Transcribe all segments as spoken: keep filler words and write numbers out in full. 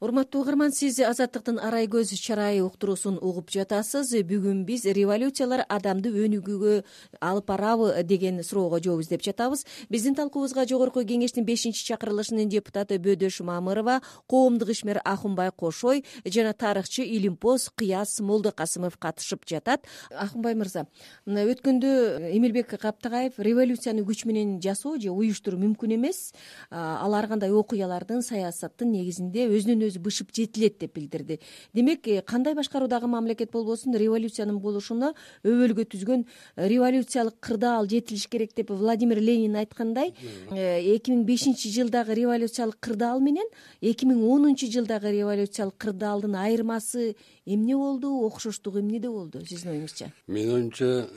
Урматтуу угарман, сиз Азаттыктын арай көз чарайы уктуруусун угуп жатасыз. Бүгүн биз революциялар адамды өнүгүүгө алып барабы деген суроого жооп издеп жатабыз. Биздин талкуубузга Жогорку Кеңештин бешинчи чакырылышынын депутаты Бөдөш Мамырова, коомдук ишмер Акынбай Кошой жана тарыхчы Илимпоз Кыяз Молдокасымов катышып жатат. Акынбай мырза, мына өткөндө Эмилбек Каптагаев революцияны күч менен жасоо же уюштуруу мүмкүн эмес, ал ар кандай окуялардын, саясаттын негизинде өзүнөн өзү бышып жетилет деп билдирди. Демек, кандай башкаруудагы мамлекет болбосун революциянын болушуна өбөлгө түзгөн революциялык кырдаал жетилиш керек деп Владимир Ленин айткандай, эки миң бешинчи жылдагы революциялык кырдаал менен эки миң онунчу жылдагы революциялык кырдаалдын айырмасы эмне болду, окшоштугу эмнеде болду сиздин оюңузча? Менин оюмча,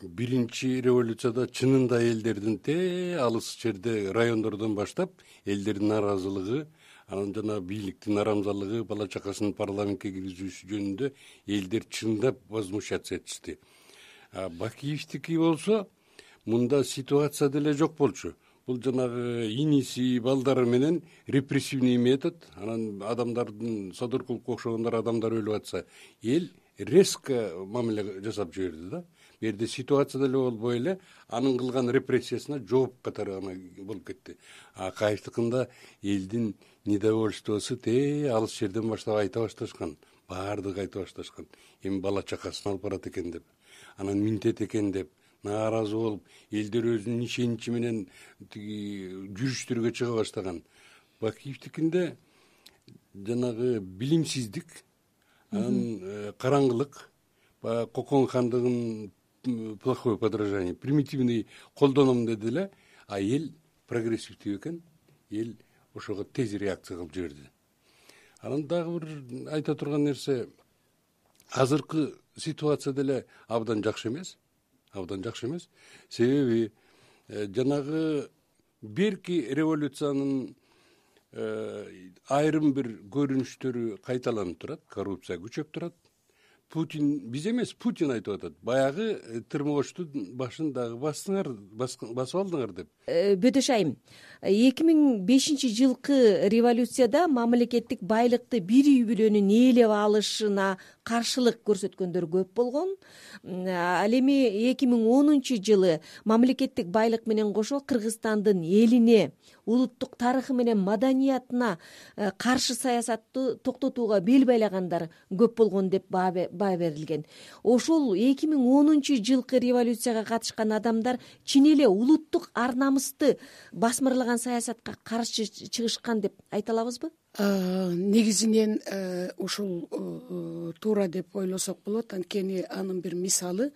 биринчи революцияда чынында элдердин те алыс жерде райондордон баштап элдердин нааразылыгы, анан жана бийликтин арамзалыгы, бала чакасын парламентке киргизүүсү жөнүндө элдер чындап возмущаться этишти. Бакиевдики болсо мында ситуация деле жок болчу. Бул жанагы иниси, балдары менен репрессивный метод, анан адамдардын содор кылып окшогондор адамдар өлүп атса, эл резко мамиле жасап жиберди да. Бу жерде ситуация деле болбой эле анын кылган репрессиясына жооп катары гана болуп кетти. А Кайыштыкында элдин недовольствосу те алыс жерден баштап айта башташкан, баардыгы айта башташкан. Эми бала чакасын алып барат экен деп, анан минтет экен деп нааразы болуп, элдер өзүнүн ишеничи менен тиги жүрүштөргө чыга баштаган. Бакиевдикинде жанагы билимсиздик, анан караңгылык, баягы Кокон хандыгын плохое подражание, примитивный колдоном деди эле, а эл прогрессивдүү экен, эл ошого тез реакция кылып жиберди. Анан дагы бир айта турган нерсе, азыркы ситуация деле абдан жакшы эмес, абдан жакшы эмес. Себеби жанагы берки революциянын айрым бир көрүнүштөрү кайталанып турат, коррупция күчөп турат. Путин, биз эмес, Путин айтып атат. Баягы тырмооштун башын дагы бастыңар, басып алдыңар деп. Бөдөш айым, эки миң бешинчи жылкы революцияда мамлекеттик байлыкты бир үй бүлөнүн ээлеп алышына каршылык көрсөткөндөр көп болгон. Ал эми эки миң онунчу жылы мамлекеттик байлык менен кошо Кыргызстандын элине, улуттук тарыхы менен маданиятына каршы саясатты токтотууга бел байлагандар көп болгон деп баа берилген. Ошол эки миң онунчу жылкы революцияга катышкан адамдар чын эле улуттук ар намысты басмырлаган саясатка каршы чыгышкан деп айта алабызбы? Негизинен ушул туура деп ойлосок болот. Анткени анын бир мисалы,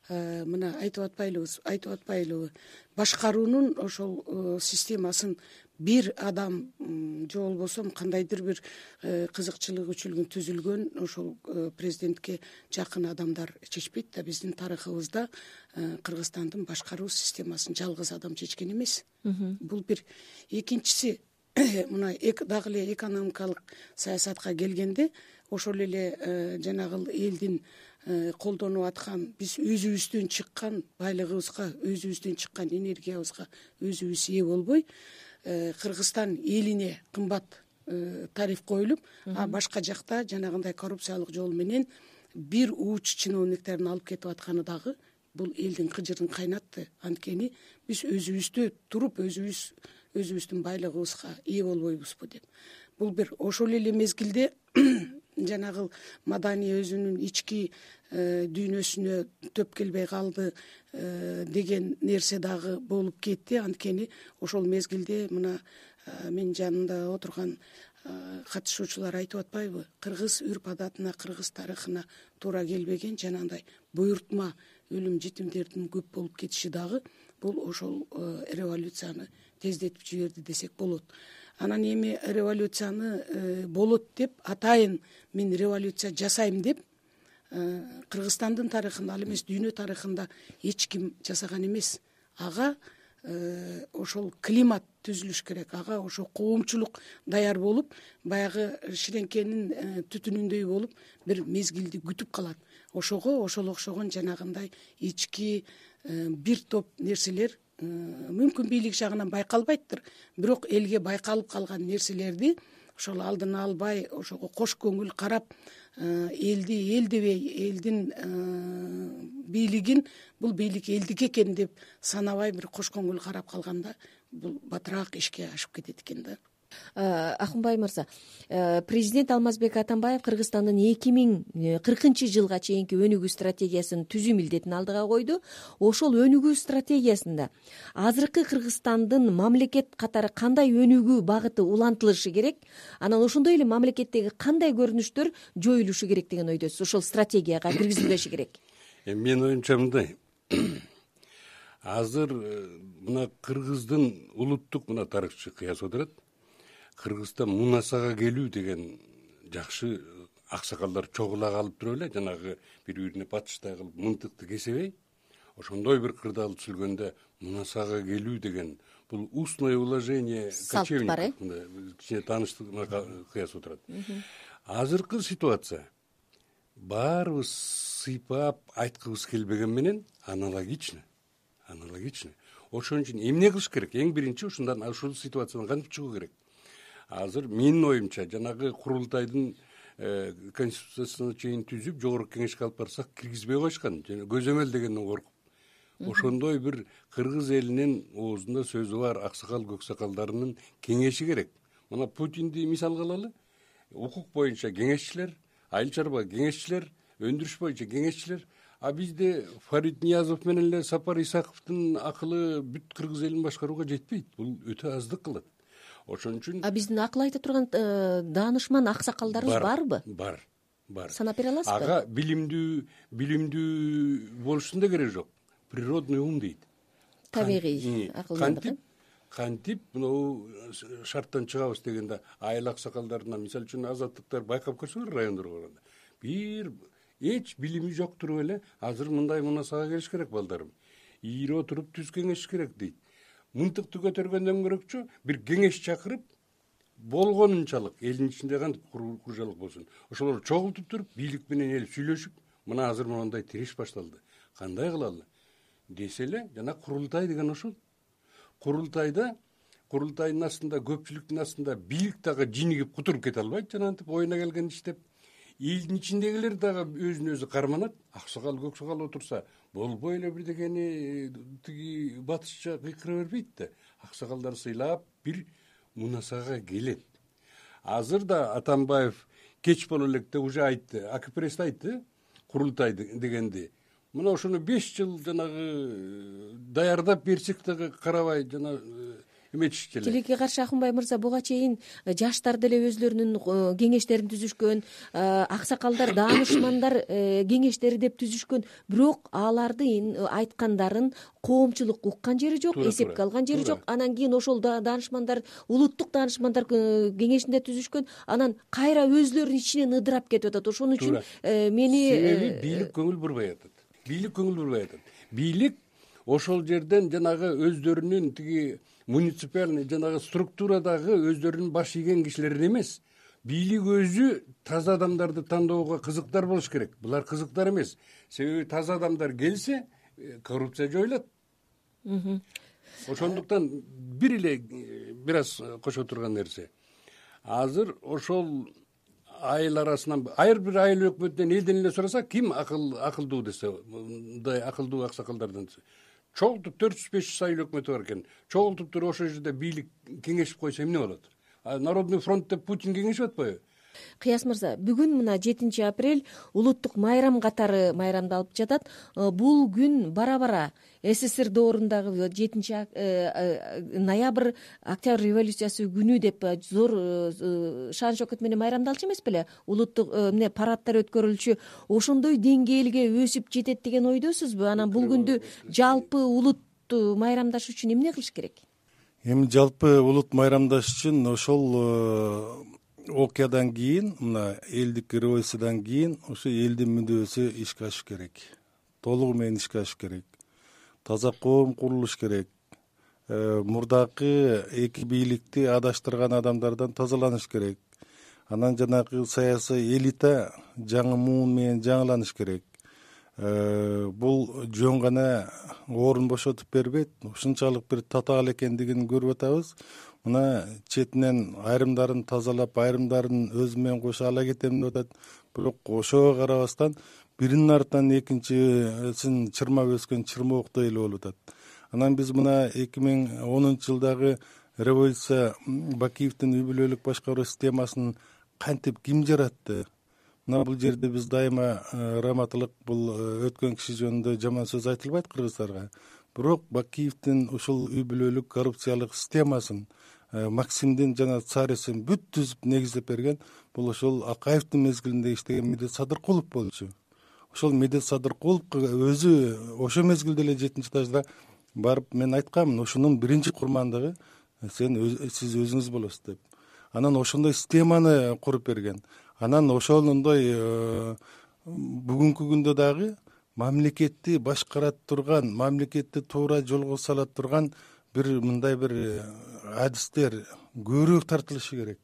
мына айтып атпайлыбыз, айтып атпайлыбы, башкаруунун ошол системасын бир адам же болбосо кандайдыр бир кызыкчылык үчүн түзүлгөн ошол президентке жакын адамдар чечпейт да. Биздин тарыхыбызда Кыргызстандын башкаруу системасын жалгыз адам чечкен эмес. Бул бир. Экинчиси, мына дагы эле экономикалык саясатка келгенде, ошол эле жанагы элдин колдонуп аткан, биз өзүбүздөн чыккан байлыгыбызга, өзүбүздөн чыккан энергиябызга өзүбүз ээ болбой, Кыргызстан элине кымбат тариф коюлуп, а башка жакта жанагындай коррупциялык жол менен бир ууч чиновниктерин алып кетип атканы дагы бул элдин кыжырын кайнатты. Анткени биз өзүбүздө туруп, өзүбүз өзүбүздүн байлыгыбызга ээ болбойбузбу деп. Бул бир. Ошол эле мезгилде жанагы маданий өзүнүн ички дүйнөсүнө төп келбей калды деген нерсе дагы болуп кетти. Анткени ошол мезгилде мына менин жанымда отурган катышуучулар айтып атпайбы, кыргыз үрп адатына, кыргыз тарыхына туура келбеген жанагындай буйртма өлүм жетимдердин көп болуп кетиши дагы бул ошол революцияны тездетип жиберди десек болот. Анан эми революцияны болот деп, атайын мен революция жасайм деп Кыргызстандын тарыхында, ал эмес дүйнө тарыхында эч ким жасаган эмес. Ага ошол климат түзүлүш керек, ага ошо коомчулук даяр болуп, баягы ширеңкенин түтүнүндөй болуп бир мезгилди күтүп калат. Ошого ошол окшогон жанагындай ички бир топ нерселер мүмкүн бийлик жагынан байкалбайттыр, бирок элге байкалып калган нерселерди ошол алдын албай ошого кош көңүл карап элди эл дебей элдин бийлигин бул бийлик элдики экен деп санабай бир кош көңүл карап калганда бул батыраак ишке ашып кетет экен да. Акынбай мырза, президент Алмазбек Атамбаев Кыргызстандын эки миң кыркынчы жылга чейинки өнүгүү стратегиясын түзүү милдетин алдыга койду. Ошол өнүгүү стратегиясында азыркы Кыргызстандын мамлекет катары кандай өнүгүү багыты улантылышы керек, анан ошондой эле мамлекеттеги кандай көрүнүштөр жоюлушу керек деген ойдосуз, ошол стратегияга киргизилбеши керек? Менин оюмча мындай, азыр мына Кыргыздын улуттук мына тарыхчы кыяс отурат. Кыргызстан мунасага келүү деген жакшы аксакалдар чогула калып туруп эле, жанагы бири бирине батыштай кылып мынтыкты кесебей, ошондой бир кырдаал түзүлгөндө мунасага келүү деген бул устное уложение кочевников, кичине тааныштык кыяс отурат. Азыркы ситуация баарыбыз сыйпап айткыбыз келбеген менен аналогично, аналогично. Ошон үчүн эмне кылыш керек? Эң биринчи ушундан, ушул ситуациядан кантип чыгуу керек? Азыр менин оюмча жанагы курултайдын конституциясына чейин түзүп жогорку кеңешке алып барсак киргизбей коюшкан, көзөмөл дегенден коркуп. Ошондой бир кыргыз элинин оозунда сөзү бар аксакал көксакалдарынын кеңеши керек. Мына Путинди мисалга алалы. Укук боюнча кеңешчилер, айыл чарба кеңешчилер, өндүрүш боюнча кеңешчилер. А бизде Фарид Ниязов менен эле Сапар Исаковдун акылы бүт кыргыз элин башкарууга жетпейт. Бул өтө аздык кылат. Ошон үчүн А биздин акыл айта турган даанышман аксакалдарыбыз барбы? Бар, бар. Санап бере аласызбы? Ага билимдүү, билимдүү болушунун да кереги жок. Природный ум дейт. Табигый акылдандык. Кантип мынау шарттан чыгабыз дегенде айыл аксакалдарына, мисалы үчүн азаттыктар байкап көрсөңөр райондорго барганда, бир эч билими жок туруп эле азыр мындай мунасага келиш керек балдарым. Ийире отуруп түз кеңеш керек дейт. Мынтыкты көтөргөндөн көрөкчү бир кеңеш чакырып болгонунчалык элдин ичинде кантип куржалык болсун, ошолорду чогултуп туруп бийлик менен эл сүйлөшүп, мына азыр мондай тиреш башталды, кандай кылалы десе эле, жана курултай деген ошол. Курултайда курултайдын астында, көпчүлүктүн астында бийлик дагы жинигип кутуруп кете албайт, жанагынтип оюна келген иштеп. Элдин ичиндегилер дагы өзүн өзү карманат. Аксакал көксакал отурса болбой эле бирдегени тиги батышча кыйкыра бербейт да. Аксакалдар сыйлап бир мунасага келет. Азыр да Атамбаев кеч боло электе уже айтты, АКПресс айтты, курултай дегенди. Мына ошону беш жыл жанагы даярдап берсек дагы карабай жана эметишчү эле. Тилекке каршы Акынбай мырза, буга чейин жаштар деле өзлөрүнүн кеңештерин түзүшкөн, аксакалдар, даанышмандар кеңештери деп түзүшкөн, бирок алардын айткандарын коомчулук уккан жери жок, эсепке алган жери жок. Анан кийин ошол даанышмандар, улуттук даанышмандар кеңешинде түзүшкөн, анан кайра өзлөрүнүн ичинен ыдырап кетип атат. Ошон үчүн мени себеби бийлик көңүл бурбай атат. Бийлик көңүл бурбай атат. Бийлик ошол жерден жанагы өздөрүнүн тиги муниципальный жанагы структурадагы өздөрүнүн баш ийген кишилерин эмес, бийлик өзү таза адамдарды тандоого кызыктар болуш керек. Булар кызыктар эмес. Себеби таза адамдар келсе, коррупция жоюлат. Ошондуктан бир эле бир аз кошо турган нерсе. Азыр ошол айыл арасынан, ар бир айыл өкмөтүнөн элден эле сураса, ким акыл акылдуу десе, мындай акылдуу аксакалдардан чогултуп төрт жүз беш жүз айыл өкмөтү бар экен. Чогултуп туруп ошол жерде бийлик кеңешип койсо эмне болот? Народный фронт деп Путин кеңешип атпайбы? Кыяс мырза, бүгүн мына жетинчи апрель улуттук майрам катары майрамдалып жатат. Бул күн бара-бара СССР доорундагы жетинчи ноябрь Октябрь революциясы күнү деп зор шан шөкөт менен майрамдалчу эмес беле? Улуттук эмне парадтар өткөрүлчү, ошондой деңгээлге өсүп жетет деген ойдосузбу? Анан бул күндү жалпы улут майрамдаш үчүн эмне кылыш керек? Эми жалпы улут майрамдаш үчүн ошол окуядан кийин, мына элдик революциядан кийин ошо элдин мүдөөсү ишке ашыш керек. Толугу менен ишке ашыш керек. Таза коом курулуш керек. Мурдакы эки бийликти адаштырган адамдардан тазаланыш керек. Анан жанагы саясий элита жаңы муун менен жаңыланыш керек. Бул жөн гана орун бошотуп бербейт, ушунчалык бир татаал экендигин көрүп атабыз. мына четинен айрымдарын тазалап, айрымдарын өзү менен кошо ала кетем деп атат. Бирок ошого карабастан биринин артынан экинчисин чырмап өскөн чырмооктой эле болуп атат. Анан биз мына эки миң онунчу жылдагы революция Бакиевдин үй бүлөлүк башкаруу системасын кантип ким жаратты? Мына бул жерде биз дайыма раматылык, бул өткөн киши жөнүндө жаман сөз айтылбайт кыргыздарга. Бирок Бакиевдин ушул үй бүлөлүк коррупциялык системасын Максимдин жана Царевдин бүт түзүп негиздеп берген бул ошол Акаевдин мезгилинде иштеген Медет Садыркулов болчу. Ошол Медет Садыркуловго өзү ошол мезгилде эле жетинчи этажда барып мен айтканмын, ошонун биринчи курмандыгы сен сиз өзүңүз болосуз деп. Анан ошондой системаны куруп берген. Анан ошондой бүгүнкү күндө дагы мамлекетти башкара турган, мамлекетти туура жолго сала турган бир мындай бир адистер көбүрөөк тартылышы керек.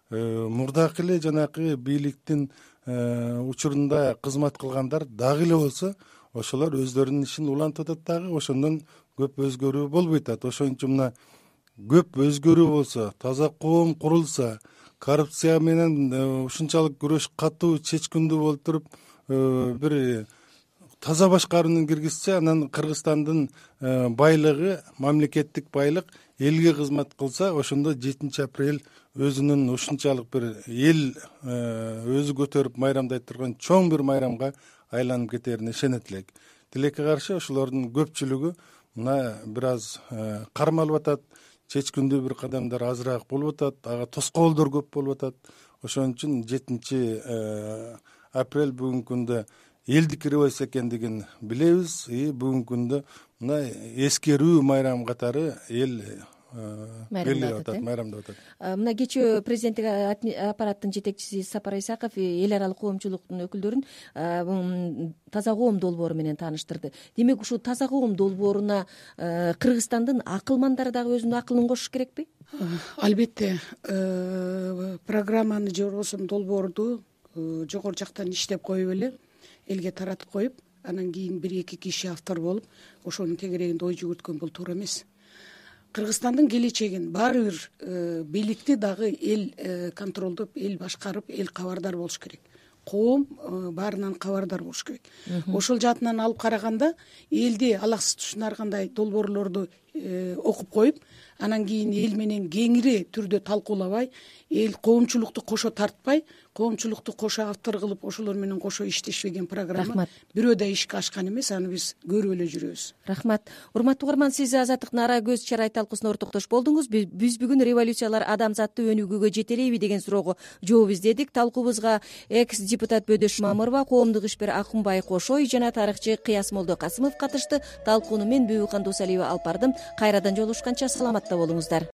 Мурдакы эле жанакы бийликтин учурунда кызмат кылгандар дагы эле болсо, ошолор өздөрүнүн ишин улантып атат дагы, ошондон көп өзгөрүү болбойт атат. Ошон үчүн мына көп өзгөрүү болсо, таза коом курулса, коррупция менен ушунчалык күрөш катуу чечкиндүү болуп туруп, бир таза башкарууну киргизсе, анан Кыргызстандын байлыгы, мамлекеттик байлык элге кызмат кылса, ошондо жетинчи апрель өзүнүн ушунчалык бир эл өзү көтөрүп майрамдай турган чоң бир майрамга айланып кетерине ишенет элек. Тилекке каршы ошолордун көпчүлүгү мына бир аз кармалып атат, чечкиндүү бир кадамдар азыраак болуп атат, ага тоскоолдор көп болуп атат. Ошон үчүн жетинчи апрель бүгүнкү күндө элдик революция экендигин билебиз. И бүгүнкү күндө мына эскерүү майрам катары эл майрамдап атат. майрамдап атат. Мына кечээ президенттик аппараттын жетекчиси Сапар Исаков эл аралык коомчулуктун өкүлдөрүн таза коом долбоору менен тааныштырды. Демек ушул таза коом долбооруна Кыргызстандын акылмандары дагы өзүнүн акылын кошуш керекпи? Албетте, программаны же болбосо долбоорду жогору жактан иштеп коюп эле элге таратып коюп, анан кийин бир эки киши автор болуп ошонун тегерегинде ой жүгүрткөн бул туура эмес. Кыргызстандын келечегин баары бир бийликти дагы эл контролдоп, эл башкарып, эл кабардар болуш керек. Коом баарынан кабардар болуш керек. Ошол жаатынан алып караганда элди алаксыз тушунар кандай долбоорлорду окуп коюп, анан кийин эл менен кеңири түрдө талкуулабай, эл коомчулукту кошо тартпай, коомчулукту кошо автор кылып, ошолор менен кошо иштешпеген программа бирөө да ишке ашкан эмес, аны биз көрүп эле жүрөбүз. Рахмат. Урматтуу угарман, сиз Азаттыктын ара көз чарай талкуусуна ортоктош болдуңуз. Биз бүгүн революциялар адамзатты өнүгүүгө жетелейби деген суроого жооп издедик. Талкуубузга экс депутат Бөдөш Мамырова, коомдук ишмер Акунбай Кошой жана тарыхчы Кыясмолдо Касымов катышты. Талкууну мен Бүбүкан Досалиева алып бардым. Кайрадан жолугушканча саламатта болуңуздар.